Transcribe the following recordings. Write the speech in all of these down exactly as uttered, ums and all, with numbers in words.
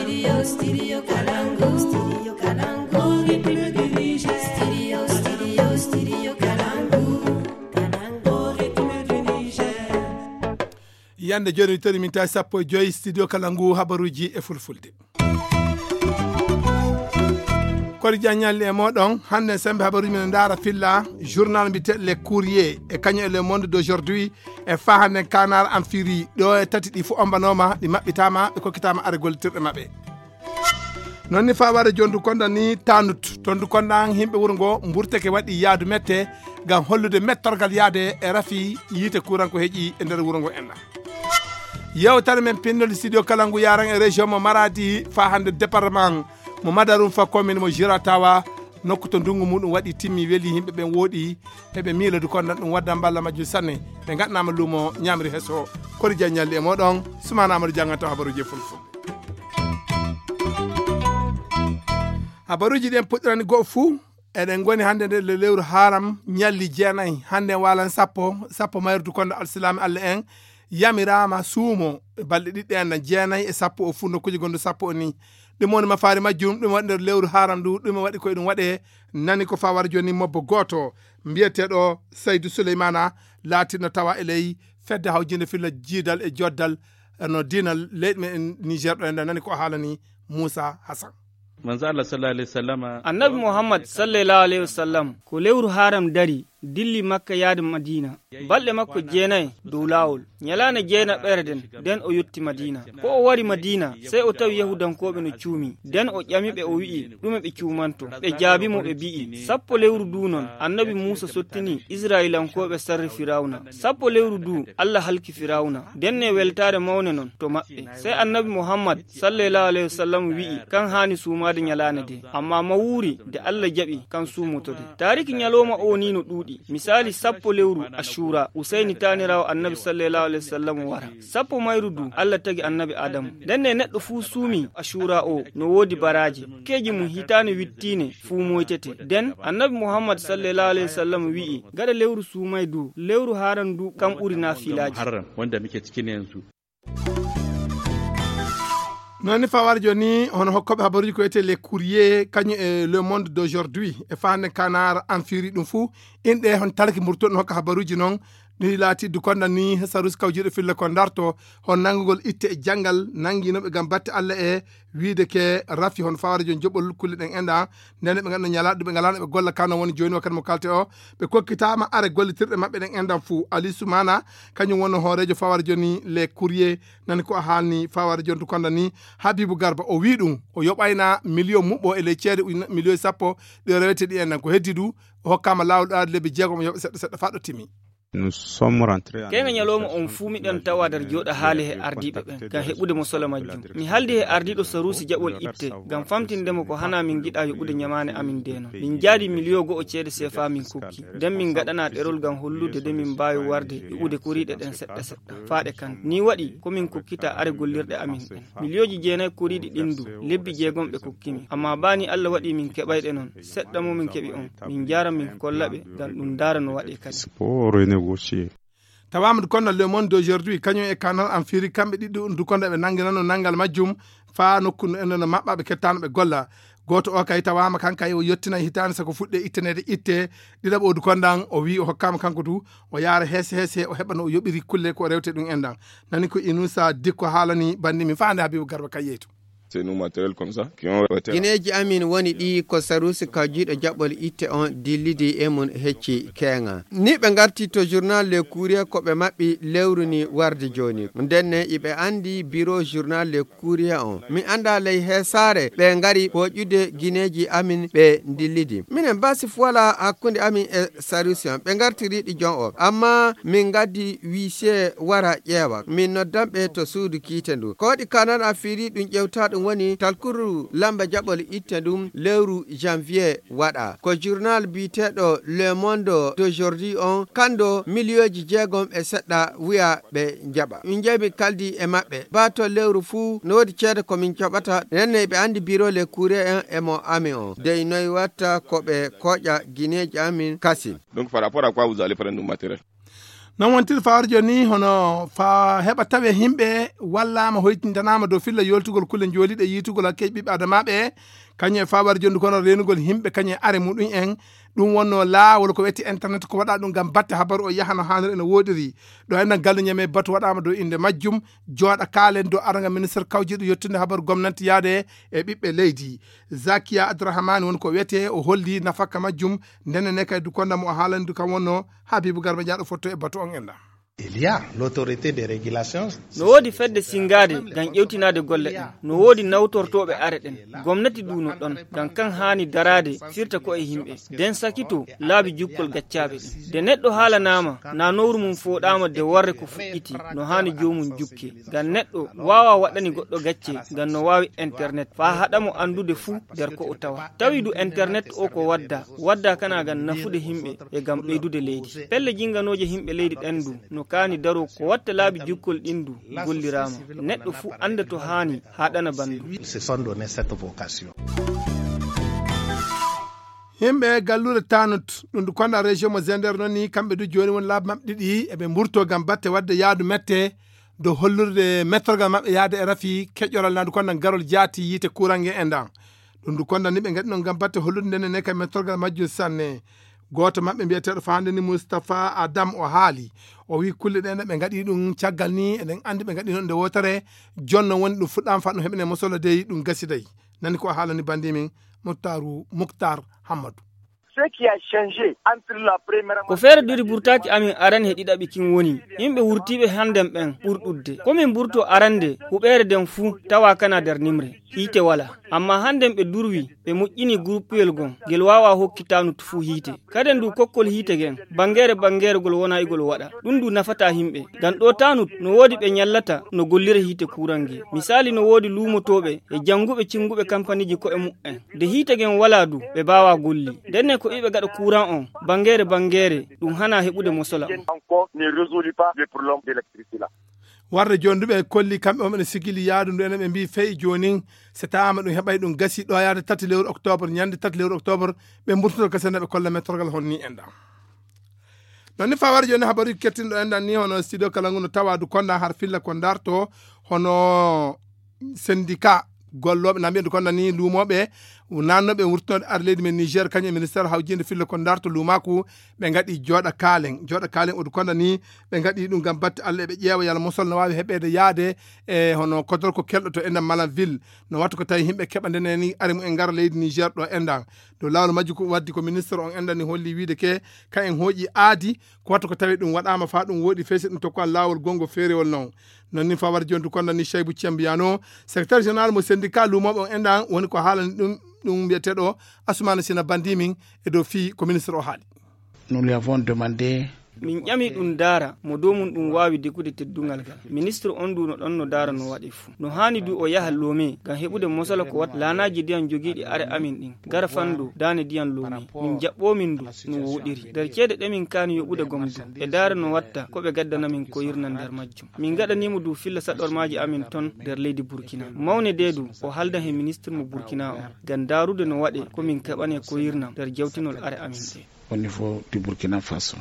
Studio, studio Kalangu, studio Kalangu, rythme du Niger. Studio, studio, studio Kalangu, Kalangu, rythme du Niger. Yande joni, toni min tawi sappo e joyi studio kala ngu habaruji e fulfulde. Kori jaññalli e moɗon, hannde sembe habaruji men ndaara filla journal mbiteɗo Le Courrier e kañum e Le Monde d'Aujourd'hui e fa hannde Kanar Amfiri. Ɗo e tati ɗi fof ombanoma, ɗi maɓɓitama, ɓe kokkitama are gollitirɗe maɓɓe. Noon ni fa ware jondu konda ni tanut, tondu konda himɓe wuro ngo mburteke waɗi yaadu mette ngam hollude mettorgal yaade e rafi yiite kuran ko heƴi e nder wuro ngo enɗa. Yewtere men pinnol studio kala ngu yaran e région mo Maradi fa hannde département mo Madarum fa commune mo Jiratawa, nokku to ndungu muɗum waɗi timmi weli, yimɓe ɓen wooɗi, eɓe miila du kondan ɗum waddan balla majjum sanne. Ɓe ngaɗnama lumo ñamri heso, kori jaññalli e moɗon, Sumana Amadou janganta habaruji e fulful. Habaruji ɗen puɗɗirani go'o fuu, eɗen ngoni hannde nder le-, lewru haram, ñalli jeenayi, hannde waalan sappo, sappo mayrudu kondo alsilaami Allah en, yamiraama suumo e balɗe ɗiɗi en, jeenayi e sappo o fuu, nokkuuji gonɗo sappo o ni. Ɗum woni mafaari majjum, ɗum waɗi nder lewru haram ndu, ɗum waɗi koye ɗum waɗe, nani ko fawar jooni mobbo gooto, mbiyeteeɗo Saydu Suleymana, laatinno tawa e ley fedde hawjinde filla jiidal e joddal, no diinal leyɗe men Niger ɗo, en nani ko haalani Moussa Hassan. Manzo Allah sallallahu alaihi wasallama. Annabi Muhammad sallallahu alaihi wasallam ko lewru haram dari, dilli Makka yaade Madina. Balɗe makko jeenayi dow laawol. Ñalaande jeenaɓere den, den o yotti Madina. Ko o wari Madina, sey o tawi Yahudankooɓe no cuumi. Den o ƴami ɓe, o wi'i, "Ɗume ɓe cuumanto?" Ɓe jaabi mo, ɓe bi'i, "Sappo lewru du non, Annabi Muusa sottini Isra'ilankooɓe sarri Firawna. Sappo lewru du, Allah halki Firawna." Den ne weltaare mawne non to maɓɓe. Sey Annabi Muhammad sallallahu alaihi wasallam wi'i, kan haani suumaade ñalaande de. Amma mawuuri de Allah jaɓi, kan suumotode. Taariki ñalooma o ni no ɗuuɗi. Misaali, sappo lewru Ashura, Usayni taaniraawo Annabi sallallahu alaihi wasallam wara. Sappo mayru du, Allah tagi Annabi Adamu. Den ne neɗɗo fuu suumi Ashura o, no woodi baraaji. Keeji mum hitaane wittiine fuu moytete. Den, Annabi Muhammad sallallahu alaihi wasallam wi'i, gaɗa lewru suumay du, lewru haran du, kam ɓuri naafilaaji. Muharram, wanda muke cikin yanzu. Noon ni fawar jooni, hono hokkooɓe habaruuji ko wiyetee Le Courrier, kañum e Le Monde d'Aujourd'hui, e faande Kanar Amfiri ɗum fuu, inɗe hon talki mburtuɗo hokka habaruuji noon, ɗi laati du konda ni sarusi kawjiiɗo filla ko darto, hon nanngugol itte e janngal, nannginooɓe ngam batte Allah e wiide ke rafi hon fawar jooni joɓol kulle ɗen enɗa, ndeen ɓe nganndu ñalaaɗo ɓe ngalaano ɓe golla kano woni jooni wakkati mo kalte o, ɓe kokkitaama are gollitirɗe maɓɓe ɗen enɗan fuu. Ali Soumana, kañum wonno hooreejo fawar jooni Le Courrier, nani ko a haalni fawar jooni to konda ni Habibou Garba, o wii ɗum, o yoɓayna million muɓɓo e ley ceede ujune, million sappo ɗi o rewete ɗi enɗan ko heddi du, o hokkaama laawol ɗaade lebbi jeegom o yoɓa seɗɗa seɗɗa faa ɗo timi. Nous sommes rentrés en Kayga ñalawma on fuu miɗen tawa nder jooɗa haali he ardiiɓe ɓen, ngam heɓude mo solo majjum. Mi haaldi he ardiiɗo saruusi jaɓol itte, ngam famtinde mo ko hana min ngiɗa yoɓude ñamaane amin ndee non. Min njaadi miliyo go'o ceede seefa min kokki. Nden min ngaɗana ɗerol ngam hollude de min mbaawi warde yoɓude koriiɗe ɗen seɗɗa seɗɗa. Faaɗe kan. Ni waɗi ko min kokkita are gollirɗe amin ɗen. Miliyooji jeenayi koriiɗi ɗin du, lebbi jeegom ɓe kokkimi. Amma baa ni Allah waɗi min keɓayɗe non. Seɗɗa mo min keɓi on, min njaara min kolla ɓe, ngam ɗum ndaara no waɗe kadi. C'est pour renégocier. Tawaama du konda Le Monde d'Aujourd'hui, kañum e Kanal Amfiri, kamɓe ɗiɗo du konda ɓe nannginano nanngal majjum, faa nokku no enen no maɓɓa ɓe kettaano ɓe golla. Gooto o kay tawaama kan kay o yottina hitaande sako fuɗɗe itteneede itte, ɗiɗaɓo o du kondan o wii o hokkaama kanko du, o yaara heese heese o heɓa no o yoɓiri kulle ko o rewte ɗum enɗan. Nani ko Inusa Dikko haalani bandi min faande Habibu Garba kay yeyto. C'est nous matériel comme ça, qui ont été Gineeji amin woni ɗi ko saruusi kawjiiɗo jaɓɓol itte on dillidi e mum hecci keeŋa. Ni ɓe ngarti to journal Le Courrier ko ɓe maɓɓi lewru ni warde jooni. Ndenne iɓe andi biro journal Le Courrier on. Mi anda ley heesaare ɓe ngari pooƴude gineeji amin ɓe dillidi. Minen basif wala hakkunde amin e saruusi on. Ɓe ngartiri ɗi jon o. Amma min ngaddi wiise wara ƴeewa. Min noddan ɓe to suudu kiite ndu. Ko waɗi Kanal Afiri ɗum ƴewta ɗum woni talkuru lamba jaɓol itte ɗum lewru janvier waɗa. Ko journal biyeteeɗo Le Monde d'Aujourd'hui on kando miliyooji jeegom e seɗɗa wiya ɓe jaɓa. Min jeyi min kaldi e maɓɓe. Baa to lewru fuu no woodi ceede ko min jaɓata. Nenne ɓe andi biro Le Courrier en e mo ami on. Dey noy watta ko ɓe kooƴa gineeji amin kasin. Donc par rapport à quoi vous allez prendre nos matériel? Non wontiri fawar joni hono fa heɓa tawe himɓe wallama hoytintanaama dow filla yoltugol kulle joliɗe yitugol hakkeji ɓiɓɓe adamaɓe, kañum e fawar joni kono renugol himɓe kañum e are muɗum en. Ɗum wonno laawol ko wetti internet ko waɗa ɗum ngam batte habaru o yahano hanir ene woɗiri. Ɗo enɗan gallu ñame batu waɗama dow inde majjum. Jooɗa kaalen dow aranga ministre kawjiɗo yettude habaru gomnanti yaade e ɓiɓɓe leydi. Zakiya Abdourahmane woni ko wiyete o holli nafakka majjum. Ndenne ne kay dukonda mo o haalani du kam wonno Habibu Garba Diaɗo fotto e batu on enɗan. Il y a l'autorité de régulation. No woodi fedde singaade ngam ƴewtinaade golle ɗen. No woodi nawtortooɓe are ɗen. Gomnati du no ɗon ngam kan haani daraade firta ko e yimɓe. Den sakito laabi jukkol gaccaaɓe ɗen. De neɗɗo haalanaama na nowru mum fooɗaama de warre ko fuɗɗiti no haani joomum jukke. Ngam neɗɗo waawa waɗani goɗɗo gacce ngam no waawi internet faa haɗa mo anndude fuu nder ko o tawa. Tawi du internet o ko wadda, wadda kana ngam nafude yimɓe e ngam ɓeydude leydi. Pelle jinganooje yimɓe leydi ɗen du no kaani daro ko watta laabi jukkol ɗin du golliraama. Neɗɗo fuu annda to haani haa ɗana bandu. Se sont donné cette vocation. Yimɓe gallure Tanut, ɗum du konda région mo Zender noon ni, kamɓe du jooni won laabi maɓɓe ɗiɗi eɓe mburto ngam batte wadde yaadu mette dow hollirde mettorgal maɓɓe yaade e rafi keƴoral na du konda garol jaati yiite kurange e ndan. Ɗum du konda ni ɓe ngaɗi noon ngam batte hollude nden ne kay mettorgal majjum sanne. Gooto maɓɓe mbiyeteeɗo fa hannde ni Moustapha Adam o haali. O wi kulle ɗen ɓe ngaɗi ɗum caggal ni eɗen anndi ɓe ngaɗi noon nde wootere. Jonno woni ɗum fuɗɗaama fa ɗum heɓene mosolo dey ɗum gasi dey. Nani ko o haalani bandi min Muktaru Muktar Hammadu. Ce qui a changé entre la première. Ko feere duri burtaaki amin arani he ɗiɗaɓi kin woni yimɓe wurtiiɓe hannden ɓen ɓurɗudde. Ko min burto arande huɓeere nden fuu tawa kana nder nimre. Hiite wala. Amma hannden ɓe durwi, ɓe moƴƴini guruppuyel gon, ngel waawa hokki Tanut fuu hiite. Kaden du kokkol hiite gen, bangere bangere gol wona igol waɗa. Ɗum du nafata yimɓe. Ngam ɗo Tanut no woodi ɓe nyallata no gollira hiite kuuran nge. Misali no woodi luumotooɓe e janguɓe cinguɓe kampaniji ko'e mu'en. Nde hiite gen wala du, ɓe baawa golli. Ndenne ko iɓe gaɗa kuuran on, bangere bangere, ɗum hana heɓude mosola on. Encore ne résolut pas le problème de l'électricité là. Warde jooni du ɓe kolli kamɓe on ɓe sigili yaadu ndu enen ɓe mbi fey joonin, so tawaama ɗum heɓay ɗum gasi ɗo yaade tati lewru octobre, ñande tati lewru octobre, ɓe mburtoto gasi ene ɓe kolla mettorgal honni en ɗam. Non ni fa warde jooni habaruji kettinɗo en ɗan ni hono studio kala ngu no tawa du konda har filla ko darto hono syndicat gollooɓe na mbiyen du konda ni luumooɓe nannoɓe wurtinode ar leydi men Niger kañum e ministère hawjinde filla ko darto luumaku ɓe ngaɗi jooɗa kaalen jooɗa kaalen odu konda ni ɓe ngaɗi ɗum ngam batte Allah eɓe ƴeewa yalla mosol no waawi heɓeede yaade e hono kodorko kelɗo to enɗan malan ville. No wattu ko tawi yimɓe keɓa ndeneni ari mu en ngara leydi Niger ɗo enɗan dow laawol majji ko waddi ko ministre on enɗan ni holli wiide ke ka en hooƴi aadi ko wattu ko tawi ɗum waɗaama fa ɗum wooɗi feysi ɗum tokko an laawol gongo feerewol non. Non ni fa warde jontu konda ni Cheybu Cembiyano, secrétaire général mo syndicat luumooɓe on enɗan woni ko haalani ɗum ɗum mbiyeteeɗo Asumana Sina bandi min e dow fii ko ministre o haali. Nous lui avons demandé. Min ƴami ɗum daara mo dow mum ɗum waawi degude teddungal ngal. Ministre on du no ɗon no daara no waɗe fuu. No haani du o yaha loome ngam heɓude mosala ko watta laanaaji ndiyam jogiiɗi are amin ɗin. Gara fanndo daane ndiyam loome. Min jaɓɓoo min du no woɗiri. Nder ceede ɗe min kaani yoɓude gom du. E daara no watta ko ɓe gaddana min koyirna nder majjum. Min gaɗaniimo du filla saɗormaaji amin ton nder leydi Burkina. Mawne de du o haldan he ministre mo Burkina on. Ngam daarude no waɗe ko min keɓane koyirnam nder jawtinol are amin ɗe. Au niveau du Burkina Faso.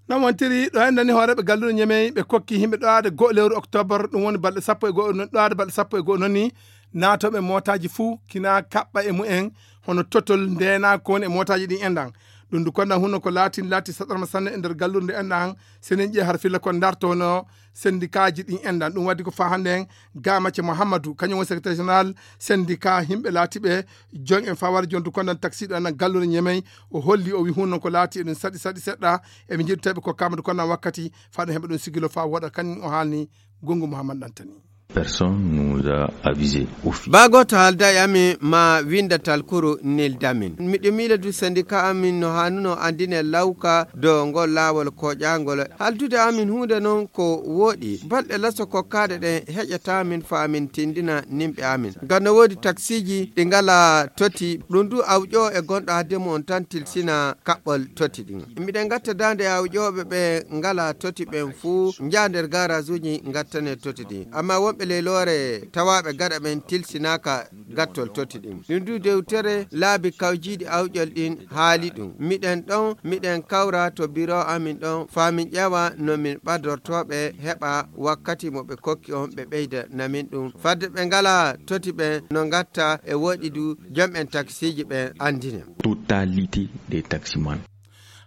Non wontiri ɗo en nani hooreɓe galluɗo ñemey ɓe kokki yimɓe ɗowaade goo lewru octobre ɗum woni balɗe sappo e goo ɗowaade balɗe sappo e goo noon ni naatoɓe mootaaji fuu kina kaɓɓa e mumen hono totol ndena ko woni e mootaaji ɗin enɗan. Ɗum du konɗan hunno ko laatin laati saɗarma sanne e nder gallurde enɗan senen ƴee har filla kon darto no sendikaaji ɗin enɗan ɗum waddi ko fa hannde en. Gamacce Mouhammadou kañum woni secrétaire général syndicat yimɓe laatiɓe jon en fawar jontu konɗan taksiɗo enɗan gallure ñemey. O holli o wi hunno ko laati eɗum saɗi saɗi seɗɗa. Eɓe njiɗi tawi ɓe kokkaama du konɗan wakkati faɗo heɓe ɗum sigilo fa woɗa kañum o haalni. Gongu Mouhammad ɗantani. Personne nous a avisé. Baa gooto haalda e amin ma winnda talkuru neldamin. Miɗo miila du sendika amin no haanuno anndine lawka dow ngol laawol koƴaangol. Haaldude amin huunde noon ko wooɗi. Balɗe laso kokkaaɗe ɗen heƴata min faa min tinndina nimɓe amin. Ngam no woodi taksiiji ɗi ngalaa toti. Ɗum du awƴoo e gonɗo hadde mum on tan tilsina kaɓɓol toti ɗin. Miɗen ngatta daande e awƴooɓe ɓe ngalaa toti ɓen fuu njaha nder gaaraajuuji ngattane toti ɗin. Ammaa wonɓe Leloore tawaaɓe gaɗa ɓen tilsinaaka gattol toti ɗin. Ɗum du dewtere laabi kawjiiɗi awƴol ɗin haali ɗum. Miɗen ɗon, miɗen kawra to biro amin ɗon, faa min ƴeewa no min ɓadortoo ɓe heɓa wakkati mo ɓe kokki on ɓe ɓeyda namin ɗum. Fadde ɓe ngalaa toti ɓen no ngatta e woɗi du jom'en taksiiji ɓen anndine. Totalité des taximans.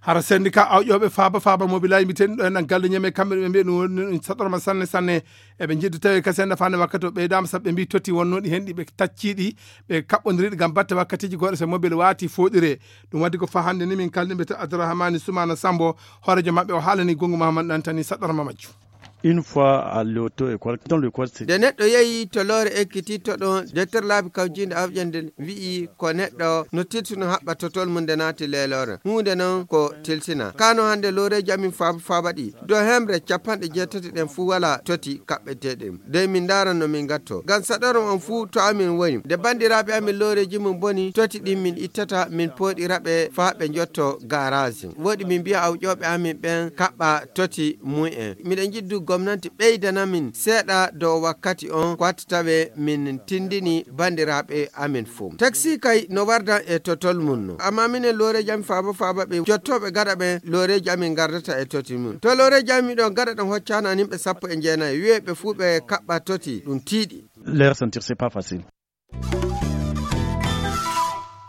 Hara sendika awƴooɓe faaba faaba mobilaaji mbiyeteeɗi ɗo en galle ñeme kamɓe ɓe mbiya ɗum woni ɗum saɗorma sanne sanne. Eɓe njiɗi tawi ka senda fande wakkati o ɓeydaama sabu ɓe mbi totti wonnooɗi hen ɗi ɓe tacciiɗi ɓe kaɓɓondiriɗi ngam batte wakkatiiji goɗɗo so mobile waati fooɗire. Ɗum waddi ko faa hannde ni min kaldi mbiyete Abdourahmani Soumana Sambo, hoorejo maɓɓe o haalani Gongu Mahamad Ɗantani saɗorma majju. Une fois à l'auto-école, dans l'école, c'est nde neɗɗo yehi to loore ekkititto ɗon, dettere laabi kawjiinde awƴande wi'i ko neɗɗo no tilsuno haɓɓa totol mum nde naati leeloore. Huunde non ko tilsina. Kano hannde looreeji amin faaba faaba ɗi. Do hemre capanɗe jeetati ɗen fuu walaa toti kaɓɓeteeɗi. Dey min ndaara no min ngatto. Ngam saɗorma on fuu to amin woni. Nde banndiraaɓe amin looreeji mum boni, toti ɗin min ittata, min pooɗira ɓe faa ɓe njotto gaaraaji. Woɗi min mbiya awƴooɓe amin ɓen kaɓɓa toti mum en. Miɗen njiɗi du gomnanti ɓeydana min seeɗa dow wakkati on, ko watta tawe min tindini banndiraaɓe amin fuu. Taksi kay no wardan e totol mum no. Amma minen looreeji amin faaba faaba ɓe jottooɓe gaɗa ɓen, looreeji amin ngardata e toti mum. To looreeji amin ɗon gaɗa ɗon hoccaano an yimɓe sappo e jeenayi, wi'ee ɓe fuu ɓe kaɓɓa toti, ɗum tiiɗi. Les ressentir, c'est pas facile.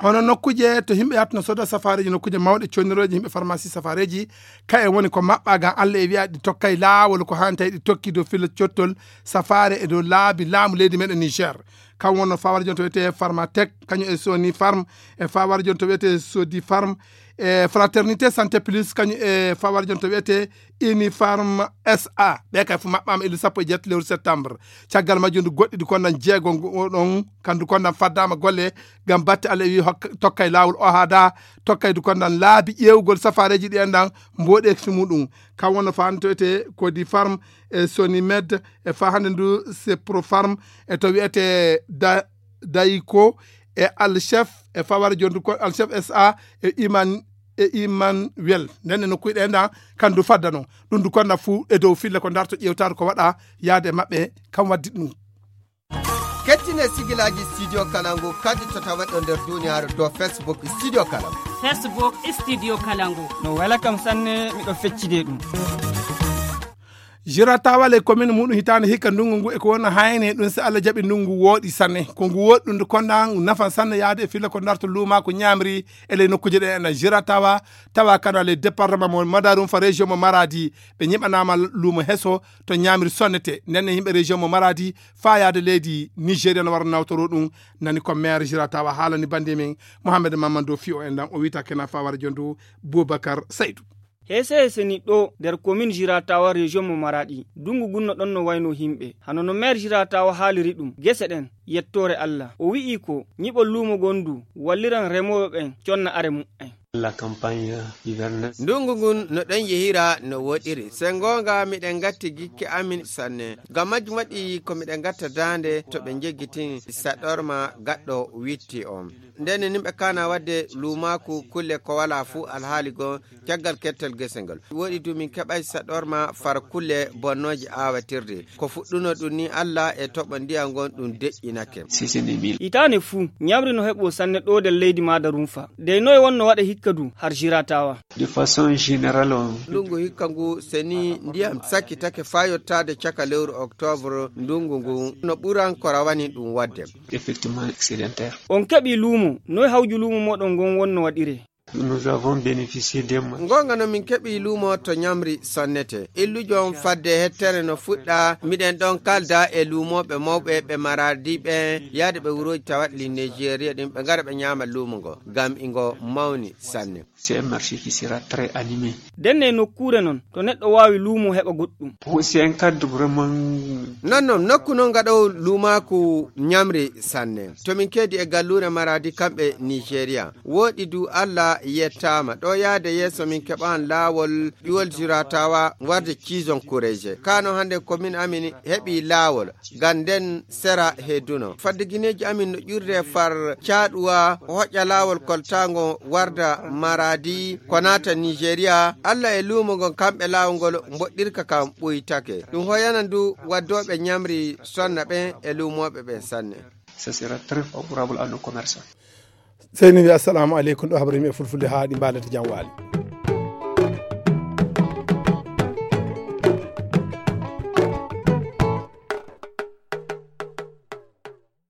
Hono nokkuuje to yimɓe yahata no sooda safaareeji, nokkuuje mawɗe connirooje yimɓe farmasi safaareeji, kaye woni ko maɓɓaa ngam Alla e wi'a ɗi tokkay laawol ko haani tawi ɗi tokki dow filla cottol safaare e dow laabi laamu leydi meɗen Niger. Kam wonno fawara jonto wiyetee Pharmatech, kañum e Sony Pharm, e fawara jonto wiyetee Sodi Pharm, e Fraternité Santé Plus, kañum e fawara jonto wiyetee Unifarm S A. Ɓe kay fof maɓɓaama e lewru sappo e jeetati lewru septembre. Caggal majjum ndu goɗɗi du kondan jeego ngo ɗon, kandu kondan faddaama golle ngam batte Alla e wi hokka, tokkay laawol o haada, tokkay du kondan laabi ƴeewugol safaareeji ɗi en ɗan mboɗeefi muɗum. Kam wonno faa hannde to wiyetee Codifarm e Sonimed e faa hannde ndu Seprofarm e to wiyetee da, Dayko e Alchef e fawara jondu ko Alchef S A e Iman, e Imanuel. Nden e nokkuuje ɗe ɗan kandu faddano. Ɗum du konda fuu e dow fille ko darto ƴeewtaade ko waɗa yaade e maɓɓe kam waddi ɗum. Kettine sigilaaji Studio Kalangu kadi to tawaɗo nder duniyaaru dow Facebook Studio Kalangu. Facebook Studio Kalangu. No wela kam sanne, miɗo feccide ɗum. Jiratawa le commune muɗum hitaande hikka ndungu ngu e ko wona hayne ɗum si Allah jaɓi ndungu wooɗi sanne. Ko ngu wooɗi ɗum ndu konda ngu nafan sanne yaade e filla ko darto luuma ko ñaamri e ley nokkuuje ɗe ena Jiratawa tawa kano le département mo Madarum fa région mo Maradi. Ɓe ñiɓanaama luumo heso to ñaamri sonnete. Nden ne yimɓe région mo Maradi faa yaade leydi Nigeria no wara nawtoro ɗum. Nani ko maire Jiratawa haalani bandi men Mohamed Mamadou Fio en ɗan o wita kena fawara jondu Boubacar Saydou. Heese heese ni ɗo nder commune Jiratawa région mo Maradi. Dungu gunno ɗon no wayno yimɓe. Hano no maire Jiratawa haaliri ɗum. Gese ɗen, yettoore Allah. O wi'i ko ñiɓol luumo gon du walliran remooɓe ɓen conna are muɓɓen. La campagne hivernage. Ndungu ngun no ɗon yehira no woɗiri. Se ngoonga miɗen ngatti gikke amin sanne. Ngam majjum waɗi ko miɗen ngatta daande to ɓe njeggitini saɗorma gaɗɗo witti on. Nden ni nimɓe kana wadde luumaaku kulle ko wala fuu alhaali goo caggal kettal gese ngal. Woɗi du min keɓay saɗorma far kulle bonnooje aawatirde. Ko fuɗɗuno ɗum ni Allah e toɓo ndiyam ngon ɗum deƴƴinake. Hitaande fuu, ñamri no heɓo sanne ɗo nder leydi Madarunfa. Dey noye wonno waɗa hikka du har Jiratawa? De façon générale on. Ndungu hikka ngu seni ndiyam sakkitake faa yottaade caka lewru octobre ndungu ngu no ɓuran ko rawani ɗum waɗde. Effectivement excédentaire. On keɓi luumo, noye hawju luumo moɗon ngon wonno waɗire? Nous avons bénéficié des ma- Ngoonga no min keɓi luumo to ñamri sonnete. Illujo on fadde hettere no fuɗɗa, miɗen ɗon kalda e luumooɓe mawɓe ɓe Maradi ɓen, yaade ɓe wurooji tawat li Nigeria ɗin, ɓe ngara ɓe ñaama luumo ngo, ngam ingo mawni sanne. C'est un marché qui sera très animé. Denne nokkuure non, to neɗɗo waawi luumo heɓa goɗɗum. C'est un cadre vraiment. Non, non, nokku non ngaɗow luumaaku ñamri sanne. To min keedi e galluure Maradi kamɓe Nigeria. Wooɗi du Allah yettaama ɗo yahde yeeso min keɓan laawol ƴuwol jiratawa warde ciison kureeje kano hannde komin amin heɓi laawol ngam nden sera he duno fadde gineeji amin no ƴurde far caaɗuwa hoƴƴa laawol koltaango warda maradi ko naata nigeria allah e luumo ngon kamɓe laawol ngol mboɗɗirka kam ɓuytake ɗum hoyana ndu waddooɓe ñamri sonna ɓen e luumooɓe ɓen sanne. Ce sera très favorable à nos commerçants. Seyni wi assalamu aleykum ɗo habrimi e fulfulde ha ɗi mbalata jam waali.